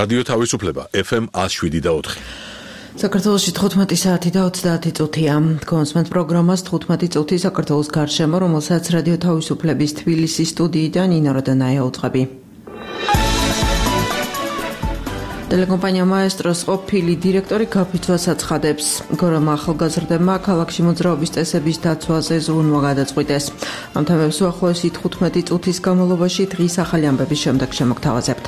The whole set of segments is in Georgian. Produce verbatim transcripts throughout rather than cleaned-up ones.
რადიო თავისუფლება ეფ ემ ათს შვიდი და ოთხი. საქართველოში თხუთმეტი საათი და ოცდაათი წუთია. კონსმენთ პროგრამას თხუთმეტი წუთი საქართველოს გარშემო, რომელსაც რადიო თავისუფლების თბილისის სტუდიიდან ნინო როდანაია უძღვები. ტელეკომპანია მაესტროს ყოფილი დირექტორი გაფიცვას აცხადებს. გორომა ახალგაზრდებმა ქალაქში მოძრაობის წესების დაცვაზე ზრუნვა გადაწყვიტეს. ამ თემებს უახლოესი თხუთმეტი წუთის განმავლობაში დღის ახალი ამბების შემდეგ შემოგთავაზებთ.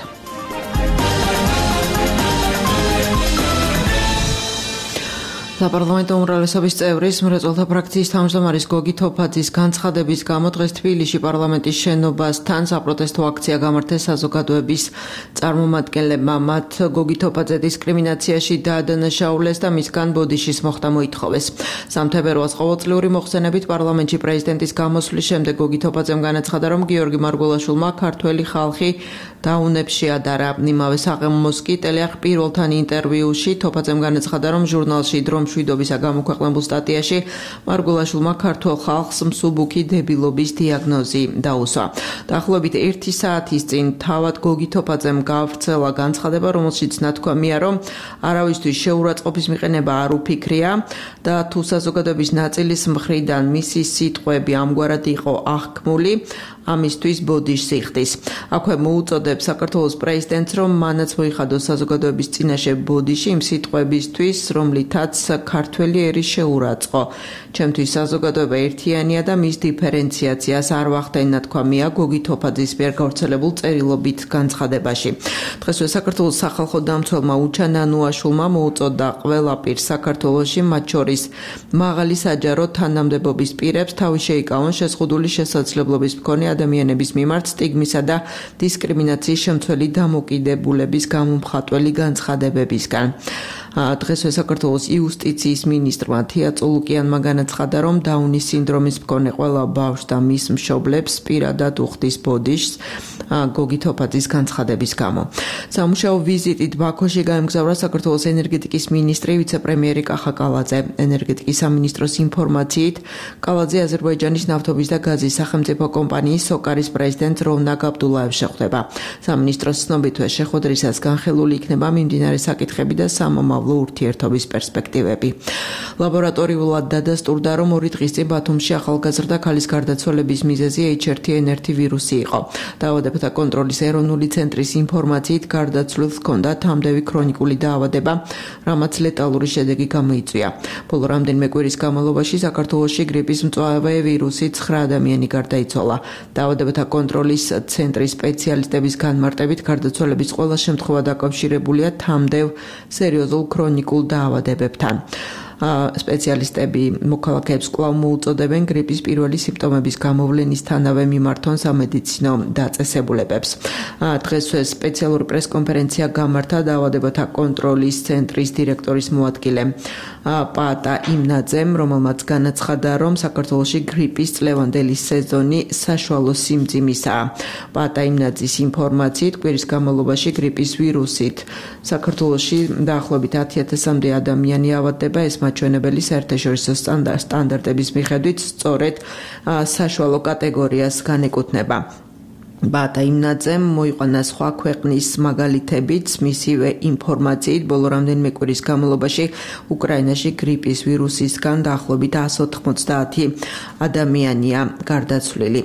საპარლამენტო უმრავლესობის წევრის მრეწველთა ფრაქციის თავმჯდომარის გოგი თოფაძის განცხადების გამო დღეს თბილისში პარლამენტის შენობასთან საპროტესტო აქცია გამართეს საზოგადოების წარმომადგენლებმა. მათ გოგი თოფაძე დისკრიმინაციაში დაადანაშაულეს და მისგან ბოდიშის მოხდა მოითხოვეს. სამთებერვალს ყოველწლიური მოხსენებით პარლამენტში პრეზიდენტის გამოსვლის შემდეგ გოგი თოფაძემ განაცხადა, რომ გიორგი მარგულაშვილმა ქართველი ხალხი დაუნებში ადარა. იმავე საღამოს კი ტელეარხ პირველთან ინტერვიუში თოფაძემ განაცხადა, რომ ჟურნალში დრო მშვიდობისა გამოქვეყნებულ სტატიაში მარგულაშვილმა ქართველ ხალხს მსუბუქი დებილობის დიაგნოზი დაუსვა. დაახლოებით ერთი საათის წინ თავად გოგი თოფაძემ გაავრცელა განცხადება, რომელშიც ნათქვამია, რომ არავისთვის შეურაცხყოფის მიყენება არ უფიქრია და თუ საზოგადოების ნაწილის მხრიდან მისი სიტყვები ამგვარად იყო აღქმული, ამისთვის ბოდიშს იხდის. აქვე მოუწოდებს საქართველოს პრეზიდენტს, რომ მანაც მოიხადოს საზოგადოების წინაშე ბოდიში იმ სიტყვებისთვის, რომლითაც ქართველი ერი შეურაცხო. ჩემთვის საზოგადოება ერთიანია და მის დიფერენციაციას არ ვახდენ, ნათქვამია გოგი თოფაძის მიერ გავრცელებულ წერილობით განცხადებაში. დღესვე საქართველოს სახალხო დამცველმა უჩა ნანუაშვილმა მოუწოდა ყველა პირს საქართველოში, მათ შორის მაღალი საჯარო თანამდებობის პირებს, თავი შეიკავონ შეზღუდული შესაძლებლობის მქონე ადამიანების მიმართ სტიგმისა და დისკრიმინაციის შემცველი დამოკიდებულების გამომხატველი განცხადებებისგან. დღესვე საქართველოს იუსტიციის მინისტრმა თია წულუკიანმა განაცხადა, რომ დაუნის სინდრომის მქონე ყველა ბავშვს და მის მშობლებს პირადად უხდის ბოდიშს გოგი თოფაძის განცხადების გამო. სამუშაო ვიზიტით ბაქოში გაემგზავრა საქართველოს ენერგეტიკის მინისტრი ვიცე-პრემიერი კახა კალაძე. ენერგეტიკის სამინისტროს ინფორმაციით კალაძე აზერბაიჯანის ნავთობის და გაზის სახელმწიფო კომპანიის სოკარის პრეზიდენტ როვნაკ აბდულაევს შეხვდება. სამინისტროს ცნობითვე შეხვედრისას განხილული იქნება მიმდინარე საკითხები და სამომავლო ურთიერთობის პერსპექტივები. ლაბორატორიულად დადასტურდა, რომ ორი დღის წინ ბათუმში ახალგაზრდა ქალის გარდაცვალების მიზეზი ეიჩ არ თი ენ ერთი ვირუსი იყო. დაავადებათა კონტროლის ეროვნული ცენტრის ინფორმაციით გარდაცვლილს ჰქონდა თამდევი ქრონიკული დაავადება, რამაც ლეტალური შედეგი გამოიწვია. ბოლო რამდენიმე კვირის განმავლობაში საქართველოში გრიპის მწვავე ვირუსით ცხრა ადამიანი გარდაიცვალა. დაავადებათა კონტროლის ცენტრის სპეციალისტების განმარტებით გარდაცვალების ყველა შემთხვევა დაკავშირებულია თამდევ სერიოზულ ქრონიკულ დაავადებებთან. სპეციალისტები მოქალაქეებს კვლავ მოუწოდებენ გრიპის პირველი სიმპტომების გამოვლენისთანავე მიმართონ სამედიცინო დაწესებულებებს. დღესვე სპეციალური პრესკონფერენცია გამართა დაავადებათა კონტროლის ცენტრის დირექტორის მოადგილე პაატა იმნაძემ, რომელმაც განაცხადა, რომ საქართველოში გრიპის წლევანდელი სეზონი საშუალო სიმძიმისაა. პაატა იმნაძის ინფორმაციით კვირის განმავლობაში გრიპის ვირუსით საქართველოში დაახლოებით ათი ათასამდე ადამიანი ავადდება. ეს მაჩვენებელი საერთაშორისო სტანდარტების მიხედვით სწორედ საშუალო კატეგორიას განეკუთვნება. პაატა იმნაძემ მოიყვანა სხვა ქვეყნის მაგალითებიც, მისივე ინფორმაციით ბოლო რამდენიმე კვირის განმავლობაში უკრაინაში გრიპის ვირუსისგან დაახლოებით εκατს ოთხმოცდაათი ადამიანია გარდაცვლილი.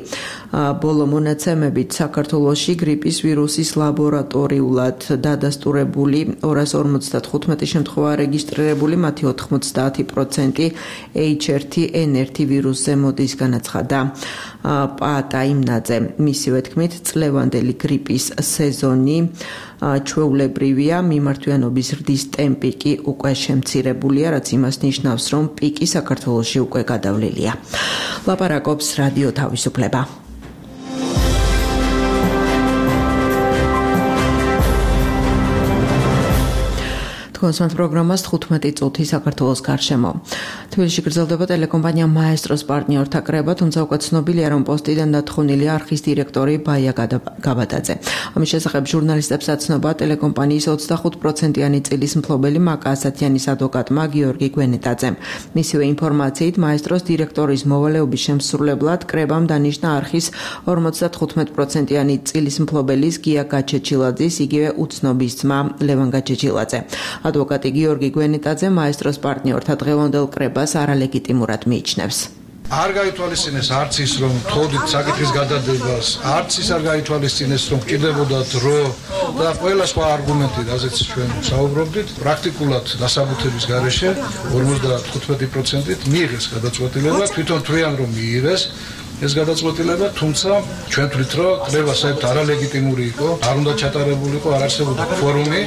ბოლო მონაცემებით საქართველოში გრიპის ვირუსის ლაბორატორიულად დადასტურებული ორას ორმოცდათხუთმეტი შემთხვევა რეგისტრირებული, მათი ოთხმოცდაათი პროცენტი ეიჩ არ თი ენ ერთი ვირუსზე მოდის, განაცხადა პაატა იმნაძე. მისივე თქმით, წლევანდელი გრიპის სეზონი ჩვეულებრივია, მიმართვიანობის ზრდის ტემპი კი უკვე შემცირებულია, რაც იმას ნიშნავს, რომ პიკი საქართველოში უკვე გადავლილია. ლაპარაკობს რადიო თავისუფლება. Თქვენს პროგრამას თხუთმეტი წუთი საქართველოს გარშემო. თბილისში გრძელდება ტელეკომპანია მაესტროს პარტნიორთა კრება, თუმცა უკვე ცნობილია, რომ პოსტიდან დათხოვნილია არხის დირექტორი ბაია გაბადაძე. ამის შესახებ ჟურნალისტებს აცნობა ტელეკომპანიის ოცდახუთ პროცენტიანი წილის მფლობელი მაკა ასათიანის ადვოკატმა გიორგი გვენეტაძემ. მისივე ინფორმაციით, მაესტროს დირექტორის მოვალეობის შემსრულებლად კრებამ დანიშნა არხის ორმოცდათხუთმეტ პროცენტიანი წილის მფლობელის გია გაჩეჩილაძის, იგივე უცნობის ძმა ლევან გაჩეჩილაძე. ადვოკატი გიორგი გვენეტაძე მაესტროს პარტნიორთა დღევანდელ კრებას არალეგიტიმურად მიიჩნევს. არ გაითვალისწინეს არც ის, რომ თოდით საკითხის გადადებას, არც ის არ გაითვალისწინეს, რომ ჭირდებოდა დრო და ყველა სხვა არგუმენტი, რაზეც ჩვენ საუბრობდით, პრაქტიკულად დასაბუთების გარეშე ორმოცდათხუთმეტი პროცენტით მიიღეს გადაწყვეტილება, თვითონ თვლიან, რომ მიიღეს ეს გადაწყვეტილება, თუმცა ჩვენ თვლით, რომ კრება საერთოდ არალეგიტიმური იყო, არ უნდა ჩატარებულიყო, არ არსებობდა ფორუმი.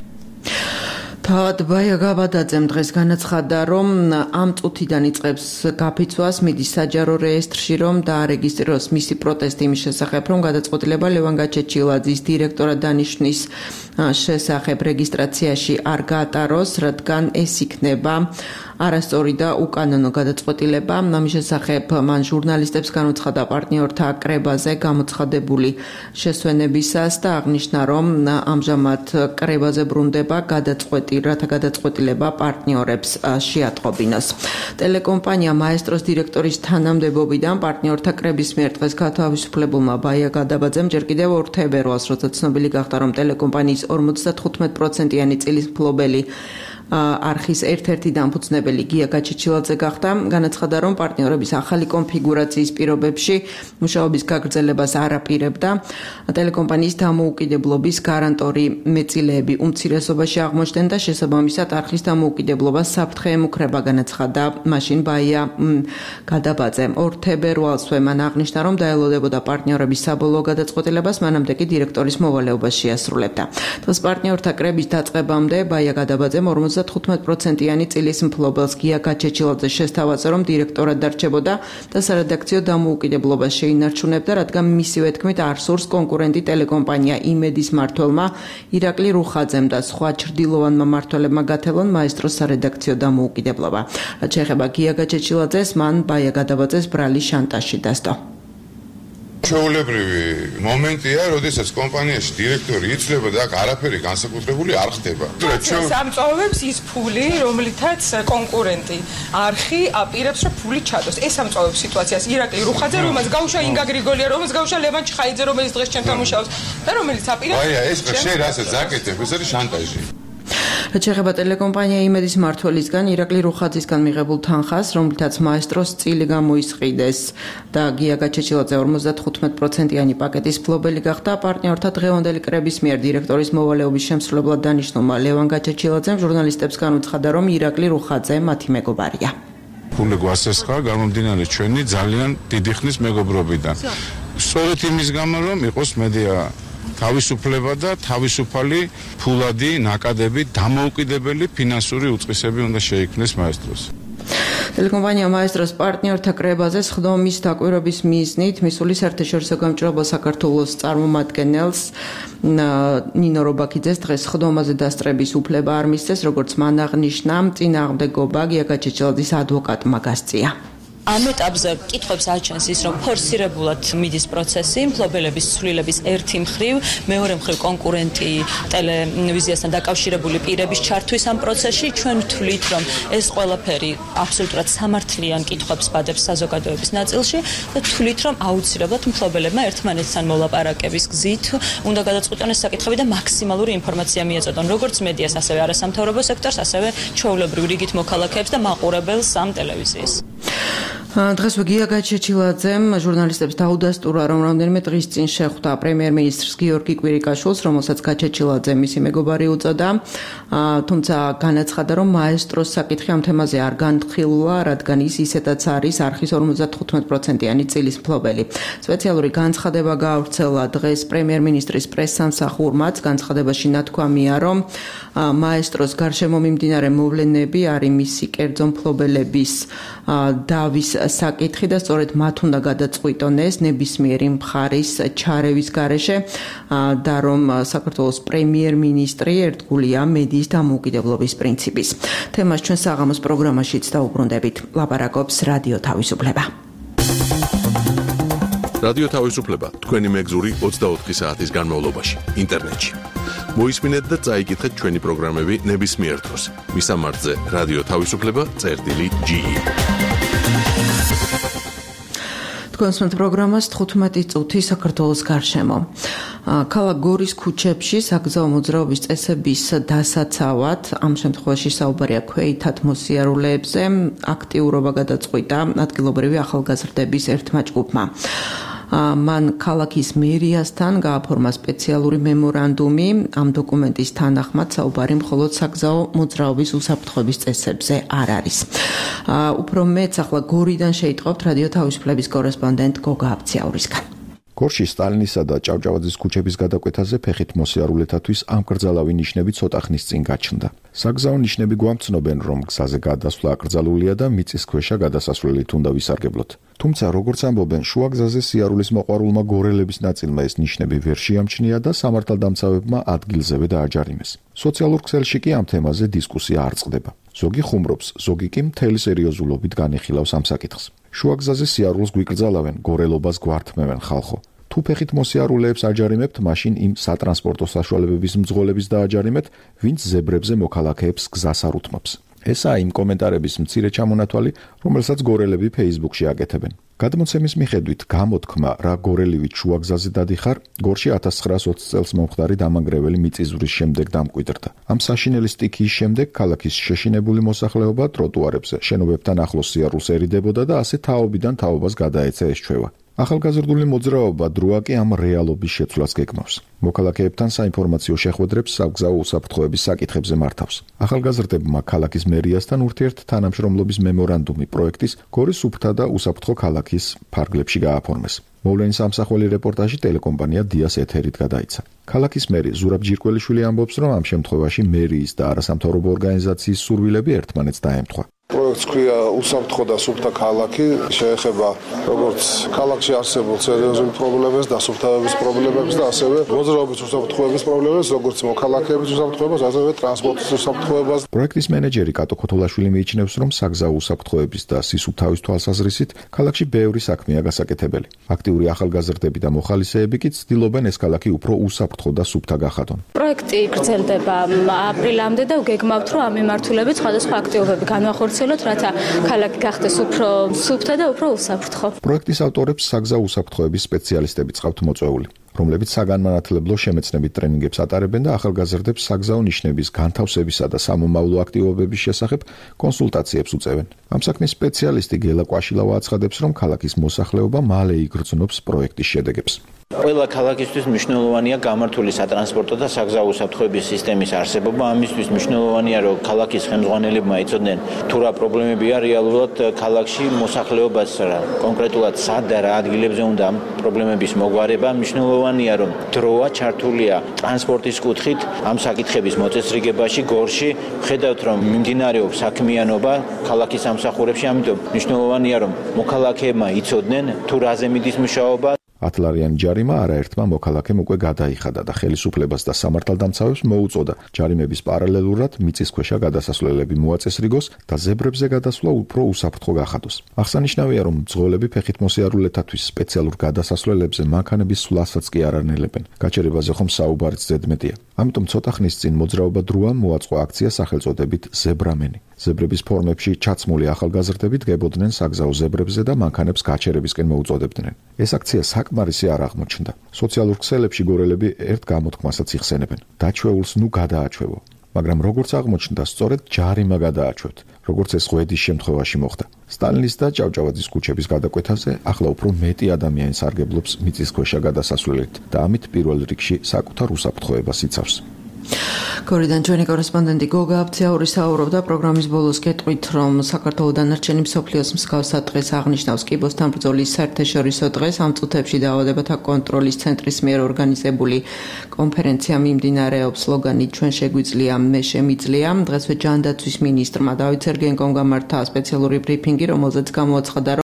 თავად ბაია გაბადაძემ დღეს განაცხადა, რომ ამ წუთიდან იწყებს გაფიცვას, მიდის საჯარო რეესტრში, რომ დაარეგისტრიროს მისი პროტესტი იმის შესახებ, რომ გადაწყვეტილება ლევან გაჩეჩილაძის დირექტორად დანიშნვის შესახებ რეგისტრაციაში არ გაატაროს, რადგან ეს იქნება არასწორი და უკანონო გადაწყვეტილება. ამის შესახებ მან ჟურნალისტებს განუცხადა პარტნიორთა კრებაზე გამოცხადებული შესვენებისას და აღნიშნა, რომ ამჟამად კრებაზე ბრუნდება გადაწყვეტი, რათა გადაწყვეტილება პარტნიორებს შეატყობინოს. ტელეკომპანია მაესტროს დირექტორის თანამდებობიდან პარტნიორთა კრების მიერ დღეს გათავისუფლებულმა ბაია გადაბაძემ ჯერ კიდევ ორ თებერვალს, როცა ცნობილი გახდა, რომ ტელეკომპანიის ორმოცდათხუთმეტ პროცენტიანი წილის მფლობელი არხის ერთ-ერთი დამფუძნებელი გია გაჩეჩილაძე გახდა, განაცხადა, რომ პარტნიორების ახალი კონფიგურაციის პირობებში მუშაობის გაგრძელებას არ აპირებდა. ტელეკომპანიის დამოუკიდებლობის გარანტორი მეწილეები უმცირესობაში აღმოჩნდნენ და შესაბამისად არხის დამოუკიდებლობას საფრთხე ემუქრება, განაცხადა მაშინ ბაია გადაბაძემ. ორ თებერვალსვე მან აღნიშნა, რომ დაელოდებოდა პარტნიორების საბოლოო გადაწყვეტილებას, მანამდე კი დირექტორის მოვალეობას შეასრულებდა. დღეს პარტნიორთა კრების დაწყებამდე ბაია გადაბაძემ ორმოცდათხუთმეტ პროცენტიანი წილის მფლობელს გია გაჩეჩილაძე შესთავაზა, რომ დირექტორად დარჩებოდა და სარედაქციო დამოუკიდებლობას შეინარჩუნებდა, რადგან მისივე თქმით არ სურს კონკურენტი ტელეკომპანია იმედის მმართველმა ირაკლი რუხაძემ და სხვა ჩრდილოვანმა მმართველებმა გათელონ მაესტროს სარედაქციო დამოუკიდებლობა. რაც შეეხება გია გაჩეჩილაძეს, მან ბაია გადაბაძეს ბრალი შანტაჟში დასდო. ჩვეულებრივი მომენტია, როდესაც კომპანიაში დირექტორი იცვლება და აქ არაფერი განსაკუთრებული არ ხდება. ამწოვებს ის ფული, რომლითაც კონკურენტი არხი აპირებს, რომ ფული ჩადოს. ეს ამწოვებს სიტუაციას ირაკლი რუხაძე, რომელსაც გაუშვა ინგა გრიგოლია, რომელსაც გაუშვა ლევან ჩხაიძე, რომელიც დღეს ჩვენთან მუშაობს და რომელიც აპირებს. აი, ეს შენ რასაც აკეთებ, ეს არის შანტაჟი. რაც შეეხება ტელეკომპანია იმედის მმართველისგან ირაკლი რუხაძისგან მიღებულ თანხას, რომლითაც მაესტროს წილი გამოისყიდეს და გია გაჩეჩილაძე ორმოცდათხუთმეტ პროცენტიანი პაკეტის მფლობელი გახდა, პარტნიორთა დღევანდელი კრების მიერ დირექტორის მოვალეობის შემსრულებლად დანიშნულმა ლევან გაჩეჩილაძემ ჟურნალისტებს განუცხადა, რომ ირაკლი რუხაძე მათი მეგობარია. ფული გვასესხა გამომდინარე ჩვენი ძალიან დიდი ხნის მეგობრობიდან. სწორედ იმის გამო, რომ იყოს მედია თავისუფლება და თავისუფალი ფულადი, ნაკადები, დამოუკიდებელი ფინანსური უწყისები უნდა შეიქმნეს მაესტროს. ტელეკომპანია მაესტროს პარტნიორთა კრებაზე სხდომის დაკვირვების მიზნით მისული საერთაშორისო გამჭირვალობა საქართველოს წარმომადგენელს ნინო რობაქიძეს დღეს სხდომაზე დასწრების უფლება არ მისცეს, როგორც მან აღნიშნა, წინააღმდეგობა გია გაჩეჩილაძის ადვოკატმა გასწია. ამ ეტაპზე კითხვებს აჩენს ის, რომ ფორსირებულად მიდის პროცესი, მფლობელების ცვლილების ერთი მხრივ, მეორე მხრივ კონკურენტი ტელევიზიასთან დაკავშირებული პირების ჩართვის ამ პროცესში, ჩვენ ვთვლით, რომ ეს ყველაფერი აბსოლუტურად სამართლიან კითხვებს ბადებს საზოგადოების ნაწილში და ვთვლით, რომ აუცილებლად მფლობელებმა ერთმანეთთან მოლაპარაკების გზით უნდა გადაწყვეტონ ეს საკითხები და მაქსიმალური ინფორმაცია მიეწოდონ როგორც მედიას, ასევე არასამთავრობო სექტორს, ასევე ჩვეულებრივ რიგით მოქალაქეებს და მაყურებელს ამ ტელევიზიის. დღეს გია გაჩეჩილაძემ ჟურნალისტებს დაუდასტურა, რომ რამდენიმე დღის წინ შეხვდა პრემიერ-მინისტრს გიორგი კვირიკაშვილს, რომელსაც გაჩეჩილაძე მისი მეგობარი უწოდა, თუმცა განაცხადა, რომ მაესტროს საკითხი ამ თემაზე არ განხილულა, რადგან ის ისედაც არის არხის ორმოცდათხუთმეტ პროცენტიანი წილის მფლობელი. სპეციალური განცხადება გაავრცელა დღეს პრემიერ-მინისტრის პრესსამსახურმაც. განცხადებაში ნათქვამია, რომ მაესტროს გარშემო მიმდინარე მოვლენები არის მისი კერძო მფლობელების დავის საკითხი და სწორედ მათ უნდა გადაწყვიტონ ეს ნებისმიერი მხარის ჩარევის გარეშე და რომ საქართველოს პრემიერ-მინისტრი ერთგულია მედიის დამოუკიდებლობის პრინციპის. თემას ჩვენ საღამოს პროგრამაშიც დაუბრუნდებით. ლაპარაკობს რადიო თავისუფლება. რადიო თავისუფლება თქვენი მეგზური ოცდაოთხი საათის განმავლობაში ინტერნეტში. მოისმინეთ და წაიკითხეთ ჩვენი პროგრამები ნებისმიერ დროს. მისამართზე რადიო თავისუფლება წერტილი ჯი ი. თქვენს პროგრამას თხუთმეტი წუთი საქართველოს გარშემო. ქალაქ გორის ქუჩებში საგზაო მოძრაობის წესების დასაცავად, ამ შემთხვევაში საუბარია ქვეითად მოსიარულეებზე, აქტიურობა გადაწყვიტა ადგილობრივი ახალგაზრდების ერთმა ჯგუფმა. მან ქალაქის მერიასთან გააფორმა სპეციალური მემორანდუმი. ამ დოკუმენტის თანახმად საუბარი მხოლოდ საგზაო მოძრაობის უსაფრთხოების წესებზე არ არის. უფრო მეც ახლა გორიდან შეიტყობთ რადიო თავისუფლების კორესპონდენტ გოგა აბციაურისგან. გორში სტალინისა და ჭავჭავაძის ქუჩების გადაკვეთაზე ფეხით მოსიარულეთათვის ამკრძალავი ნიშნები ცოტა ხნის წინ გაჩნდა. საგზაო ნიშნები გვამცნობენ, რომ გზაზე გადასვლა აკრძალულია და მიწისქვეშა გადასასვლელით უნდა ვისარგებლოთ. თუმცა, როგორც ამბობენ, შუაგზაზე სიარულის მოყვარულმა გორელების ნაწილმა ეს ნიშნები ვერ შეამჩნია და სამართალდამცავებმა ადგილზევე დააჯარიმეს. სოციალურ ქსელში კი ამ თემაზე დისკუსია არ წყდება. ზოგი ხუმრობს, ზოგი კი მთელი სერიოზულობით განიხილავს ამ საკითხს. შუაგზაზე სიარულს გვიკრძალავენ, გორელობას გვართმევენ ხალხო. თუ ფეხით მოსიარულეებს აჯარიმებთ, მაშინ იმ სატრანსპორტო საშუალებების მძღოლების დააჯარიმეთ, ვინც ზებრებზე მოქალაქეებს გზას არ უთმობს. ესაა იმ კომენტარების მცირე ჩამონათვალი, რომელსაც გორელები Facebook-ში აკეთებენ. გადმოცემის მიხედვით, გამოთქმა რა გორელივით შუაგზაზე დადიხარ, გორში ათას ცხრაას ოცი წელს მომხდარი დამანგრეველი მიწისძვრის შემდეგ დამკვიდრდა. ამ საშინელი სტიქიის შემდეგ ქალაქის შეშინებული მოსახლეობა ტროტუარებზე, შენობებთან ახლოს სიარულს ერიდებოდა და ასე თაობიდან თაობას გადაეცა ეს ჩვევა. ახალგაზრდული მოძრაობა დროა კი ამ რეალობის შეცვლას გეგმავს. მოქალაქეებთან საინფორმაციო შეხვედრებს საგზაო უსაფრთხოების საკითხებზე მართავს. ახალგაზრდებმა ქალაქის მერიასთან ურთიერთთანამშრომლობის მემორანდუმი პროექტის გორის უფთა და უსაფრთხო ქალაქის ფარგლებში გააფორმეს. მოვლენის ამსახველი რეპორტაჟი ტელეკომპანია დიას ეთერით გადაიცა. ქალაქის მერი ზურაბ ჯირკველიშვილი ამბობს, რომ ამ შემთხვევაში მერიის და არასამთავრობო ორგანიზაციის სურვილები ერთმანეთს დაემთხვა. პროექტს ქვია უსაფრთხო და სუფთა ქალაქი, შეეხება როგორც ქალაქში არსებულ სერიოზულ პრობლემებს, დასუფთავების პრობლემებს და ასევე მოძრაობის უსაფრთხოების პრობლემებს, როგორც მოქალაქეების უსაფრთხოებას, ასევე ტრანსპორტის უსაფრთხოებას. პროექტის მენეჯერი კატო ქოთოლაშვილი მიიჩნევს, რომ საგზაო უსაფრთხოების და სისუფთავის თვალსაზრისით ქალაქში ბევრი საქმეა გასაკეთებელი. აქტიური ახალგაზრდები და მოხალისეები კი ცდილობენ ეს ქალაქი უფრო უსაფრთხო და სუფთა გახადონ. პროექტი გრძელდება აპრილამდე და გეგმავთ, რომ ამ მიმართულებით სხვადასხვა აქტივობები განვახორციელოთ, რათა ქალაქი გახდეს უფრო სუფთა და უფრო უსაფრთხო. პროექტის ავტორებს საგზაო უსაფრთხოების სპეციალისტები წყავთ მოწვეული, რომლებიც საგანმანათლებლო შემეცნებით ტრენინგებს ატარებენ და ახალგაზრდებს საგზაო ნიშნების განთავსებისა და სამომავლო აქტივობების შესახებ კონსულტაციებს უწევენ. ამ საქმის სპეციალისტი გელა კვაშილავა აცხადებს, რომ ქალაქის მოსახლეობა მალე იგრძნობს პროექტის შედეგებს. ყველა ქალაქისთვის მნიშვნელოვანია გამართული სატრანსპორტო და საგზაო უსაფრთხოების სისტემის არსებობა. ამისთვის მნიშვნელოვანია, რომ ქალაქის ხელმძღვანელებმა იცოდნენ თუ რა პრობლემებია რეალურად ქალაქში მოსახლეობას კონკრეტულად სად და რა ადგილებზე უნდა ამ პრობლემების მოგვარება. მნიშვნელოვანია, რომ დროა ჩართულია ტრანსპორტის კუთხით ამ საკითხების მოწესრიგებაში გორში. ხედავთ, რომ მიმდინარეობს საქმიანობა ქალაქის სამსახურებში, ამიტომ მნიშვნელოვანია, რომ მოქალაქეებმა იცოდნენ თუ რაზე მიდის მუშაობა. ათლარიანი ჯარიმა არაერთმა მოქალაქემ უკვე გადაიხადა და ხელისუფლებას და სამართალდამცავებს მოუწოდა ჯარიმების პარალელურად მიწისქვეშა გადასასვლელები მოაწესრიგოს და ზებრებზე გადასვლა უფრო უსაფრთხო გახადოს. აღსანიშნავია, რომ მძღოლები ფეხით მოსიარულეთათვის სპეციალურ გადასასვლელებზე მანქანების სვლასაც კი არ ანელებენ. გაჩერებაზე ხომ საუბარიც ზედმეტია. ამიტომ ცოტა ხნის წინ მოძრაობა დროამ მოაწყო აქცია სახელწოდებით ზებრამენი. ზებრების ფორმებში ჩაცმული ახალგაზრდები დგებოდნენ საგზაო ზებრებზე და მანქანებს გაჩერებისკენ მოუწოდებდნენ. ეს აქცია საკმარისი არ აღმოჩნდა. სოციალურ ქსელებში გორელები ერთ გამოთქმასაც იხსენებენ. დაჩვეულს ნუ გადააჩვევო. მაგრამ როგორც აღმოჩნდა, სწორედ ჯარიმა გადააჩვევთ, როგორც ეს ღვედის შემთხვევაში მოხდა. სტალინის და ჭავჭავაძის ქუჩების გადაკვეთაზე ახლა უფრო მეტი ადამიანი სარგებლობს მიწისქვეშა გადასასვლელით და ამით პირველ რიგში საკუთარ უსაფრთხოებას იცავს. გორიდან ჩვენი კორესპონდენტი გოგა აბციაური საუბრობდა პროგრამის ბოლოს გეტყვით, რომ საქართველოს დანარჩენი მსოფლიოს მსგავსად დღეს აღნიშნავს კიბოსთან ბრძოლის საერთაშორისო დღეს. ამ წუთებში დაავადებათა კონტროლის ცენტრის მიერ ორგანიზებული კონფერენცია მიმდინარეობს სლოგანით ჩვენ შეგვიძლია, მე შემიძლია. დღესვე ჯანდაცვის მინისტრმა დავით სერგეენკომ გამართა სპეციალური ბრიფინგი, რომელზეც გამოაცხადა,